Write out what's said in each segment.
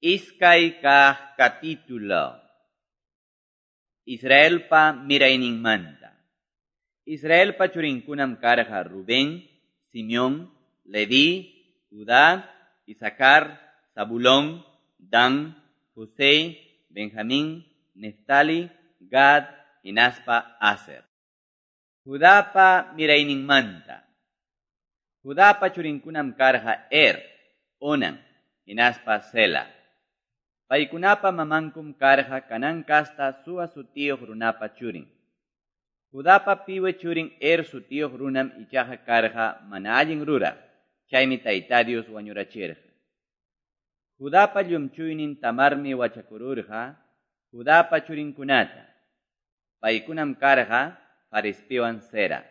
Iskay kaq capítulo. Israelpa mirayninmanta. Israelpa churinkunam karqa Rubén, Simeón, Leví, Judá, Isacar, Zabulón, Dan, José, Benjamín, Neftali, Gad, hinaspa Aser. Judapa mirayninmanta. Judapa churinkunam karqa Er, Onan, hinaspa Sela. Paykunapa mamankum karqa Canaán kasta Sua sutiyuq runapa churin. Judapa piwi churin Er sutiyuq runam ichaqa karqa mana allin ruraq, chaymi Tayta Dios wañurachirqa. Judapa llumchuynin Tamarmi wachakururqa Judapa churinkunata. Paykunam karqa Farespiwan Zera.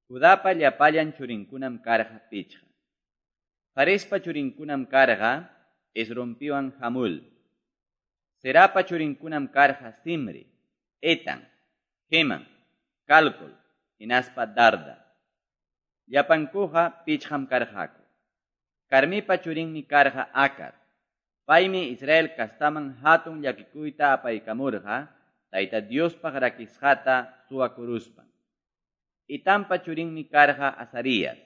Judapa llapallan churinkunam karqa pichqa. Farespa churinkunam karqa Esrompiwan Hamul. Zerapa churinkunam karqa Simri, Etan, Heman, Calcol, hinaspa Darda. Llapankuqa pichqam karqaku. Carmipa churinmi karqa Acar. Paymi Israel kastaman hatun llakikuyta apaykamurqa, Tayta Diospaq rakisqata suwakuruspan. Itampa churinmi karqa Azarías.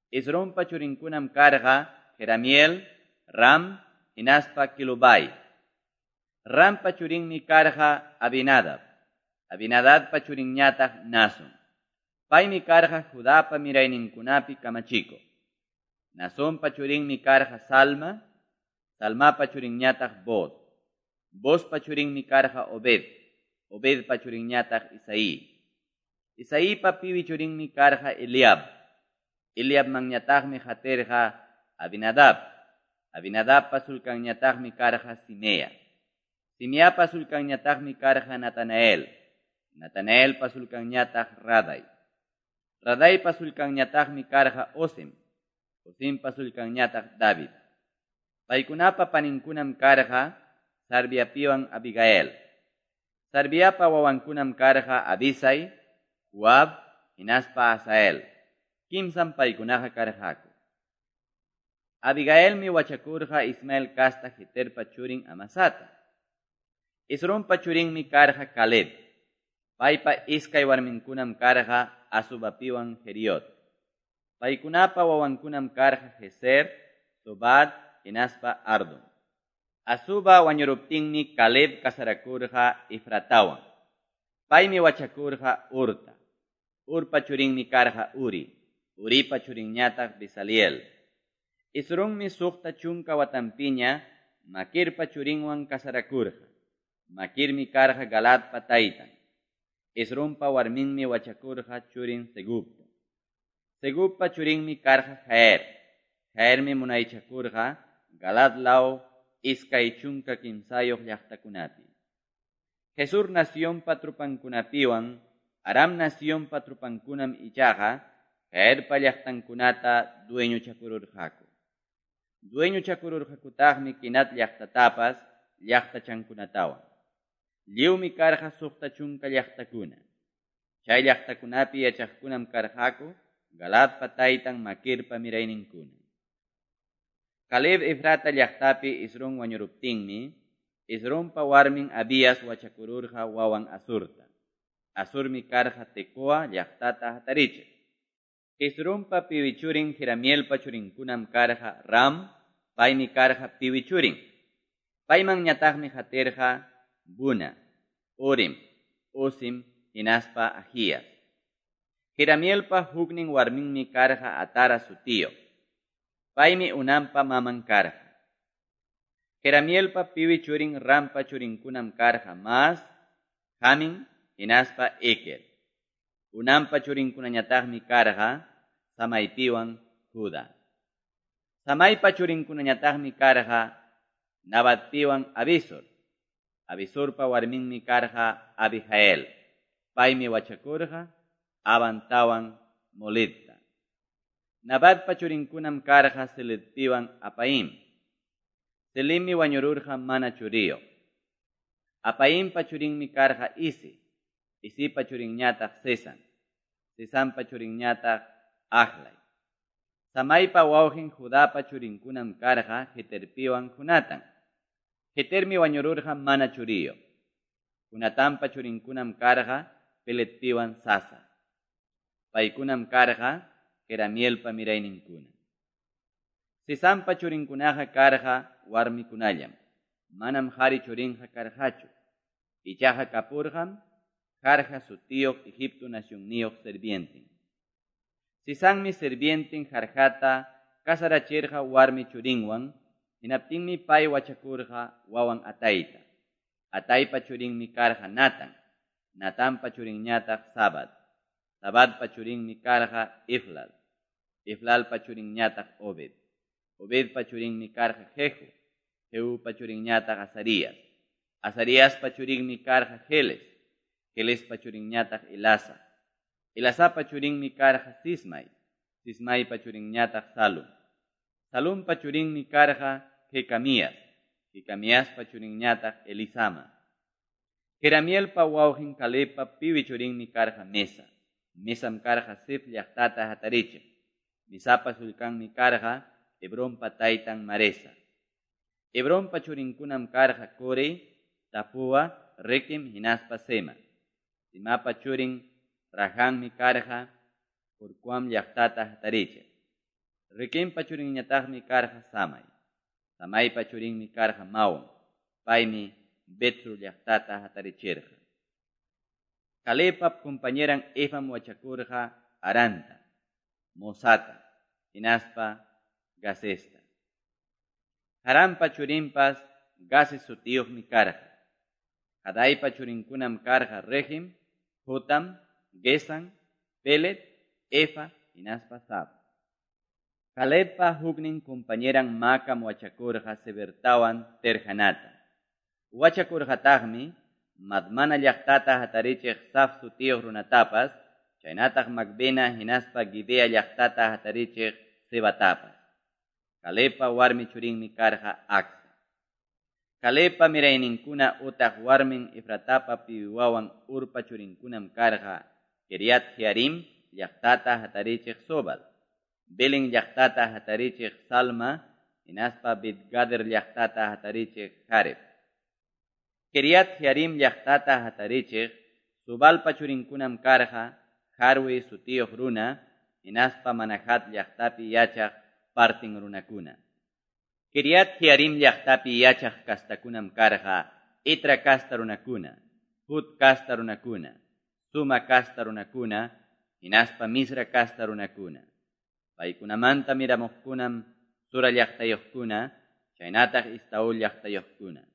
Esrompa churinkunam karqa Jeramiel, Ram, hinaspa Kilubay. Rampa churinmi karqa Abinadab. Abinadabpa churinñataq Nason. Paymi karqa Judapa mirayninkunapi kamachikuq. Nasonpa churinmi karqa Salma, Salmapa churinñataq Booz. Boozpa churinmi karqa Obed, Obedpa churinñataq Isaí. Isaípa piwi churinmi karqa Eliab. Eliabmanñataqmi qatirqa Abinadab. Abinadabpa sulkanñataqmi karqa Simea. Simeapa sulkanñataqmi karqa Natanael. Natanaelpa sulkanñataq Raday. Radaypa sulkanñataqmi karqa Osim. Osimpa sulkanñataq David. Paykunapa paninkunam karqa Sarviapiwan Abigail. Sarviapa wawankunam karqa Abisai, Joab, hinaspa Asael. Kimsam paykunaqa karqaku. Abigailmi wachakurqa Ismael kasta Jeterpa churin Amasata. Esrompa churinmi karqa Caleb. Paypa iskay warminkunam karqa Azubapiwan Jeriot. Paykunapa wawankunam karqa Jezer, Sobad, hinaspa Ardon. Azuba wañuruptinmi Caleb kasarakurqa Efratawan. Paymi wachakurqa Hurta. Hurpa churinmi karqa Uri. Uripa churinñataq Bezaliel. Esrommi 60 watanpiña Maquirpa churinwan kasarakurqa. Maquirmi karqa Galadpa taytan. Esrompa warminmi wachakurqa churin Segubta. Segubpa churinmi karqa Jair. Jairmi munaychakurqa Galad law 23 llaqtakunapi. Gesur nacionpa trupankunapiwan Aram nacionpa trupankunam ichaqa Jairpa llaqtankunata dueñochakururqaku. Dueñochakururqakutaqmi Kenat llaqtatapas llaqtachankunatawan. Lliwmi karqa 60 llaqtakuna. Chay llaqtakunapi yachaqkunam karqaku Galadpa taytan Maquirpa mirayninkuna. Caleb Efrata llaqtapi Esrón wañuruptinmi, Esrompa warmin Abías wachakururqa wawan Asurta. Asurmi karqa Tecoa llaqtata hatarichiq. Esrompa piwi churin Jeramielpa churinkunam karqa Ram, paymi karqa piwi churin. Paymanñataqmi qatirqa Buna, Urim, Usim, hinaspa Ajías. Jeramielpa huknin warminmi karqa Atara sutiyuq. Paymi Unampa maman karqa. Jeramielpa piwi churin Rampa churinkunam karqa Mas, Jamin, hinaspa Eker. Unampa churinkunañataqmi karqa Samaypiwan Juda. Samaypa churinkunañataqmi karqa Nabatpiwan Abisur. Abisurpa warminmi karqa Abijael. Paymi wachakurqa Abantawan Molidta. Nabatpa churinkunam karqa Seledpiwan Apaim. Selimmi wañururqa mana churiyuq. Apaimpa churinmi karqa Isi. Isipa churinñataq Sesan. Sesanpa churinñataq Ahlay. Samaypa wawqin Judapa churinkunam karqa Jeterpiwan Jonatan. Jetermi wañururqa mana churiyuq. Jonatanpa churinkunam karqa Peletpiwan Sasa. Paykunam karqa Jeramielpa mirayninkuna. Sesanpa churinkunaqa karqa warmikunallam. Manam qari churinqa karqachu. Ichaqa kapurqam Jarja sutiyuq Egipto nacionniyuq sirvienten. Sesanmi sirvienten Jarjata casarachirqa warmi churinwan, hinaptinmi pay wachakurqa wawan Atayta. Ataypa churinmi karqa Natan, Natanpa churinñataq Zabad. Zabadpa churinmi karqa Eflal. Eflalpa churinñataq Obed. Obedpa churinmi karqa Jehu. Jehupa churinñataq Azarías. Azariaspa churinmi karqa Heles. Helespa churinñataq Elasa. Elasapa churinmi karqa Sismai. Sismaipa churinñataq Salum. Salumpa churinmi karqa Jecamías. Jecamiaspa churinñataq Elisama. Jeramielpa wawqin Calebpa piwi churinmi karqa Mesa. Mesam karqa Zif llaqtata hatarichiq. Mesapa sullkanmi karqa Hebronpa taytan Maresa. Hebronpa churinkunam karqa Core, Tapua, Requem hinaspa Sema. Semapa churin Rahammi karqa Jorcoam llaqtata hatarichiq. Requempa churinñataqmi karqa Samai. Samaypa churinmi karqa Maon. Paymi Betsur llaqtata hatarichirqa. Calebpa compañeran Efam wachakurqa Haranta, Mosata, hinaspa Gazesta. Haranpa churinpas Gazez sutiyuqmi karqa. Hadaypa churinkunam karqa Regem, Jotam, Gesan, Pelet, Efa, hinaspa Saf. Calebpa huknin compañeran Maacam wachakurqa Sebertawan Terhanata. Wachakurqataqmi Madmana llaqtata hatarichiq Saf sutiyuq runatapas, chaynataq Macbena hinaspa Gibea llaqtata hatarichiq Sebatapas. Calebpa warmi churinmi karqa Acsa. Calebpa mirayninkuna utaq warmin Efratapa piwi wawan Hurpa churinkunam karqa Quiriat Jearim llaqtata hatarichiq Sobal, Belén llaqtata hatarichiq Salma, hinaspa Bet-gader llaqtata hatarichiq Haref. Quiriat Jearim llaqtata hatarichiq Sobalpa churinkunam karqa Harwe sutiyuq runa, hinaspa Manahat llaqtapi yachaq partin runakuna. Quiriat Jearim llaqtapi yachaq kastakunam karqa Itra kasta runakuna, Hut kasta runakuna, Suma kasta runakuna, hinaspa Misra kasta runakuna. Paykunamanta miramuqkunam Zora llaqtayuqkuna, chaynataq Estaol llaqtayuqkuna.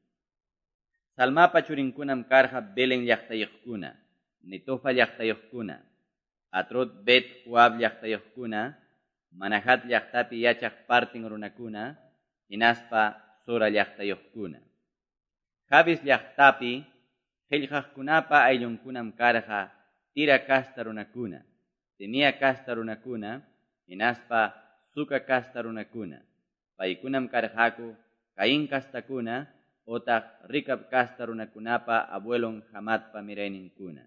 Salmapa churinkunam karqa Belén llaqtayuqkuna, Netofa llaqtayuqkuna, Atrot Bet Joab llaqtayuqkuna, Manahat llaqtapi yachaq partin runakuna, hinaspa Zora llaqtayuqkuna. Jabes llaqtapi qillqaqkunapa ayllunkunam karqa Tira kasta runakuna, Simea kasta runakuna, hinaspa Suca kasta runakuna. Paykunam karqaku Caín kastakuna, otaq Ricab kasta runakunapa abuelon Hamatpa mirayninkuna.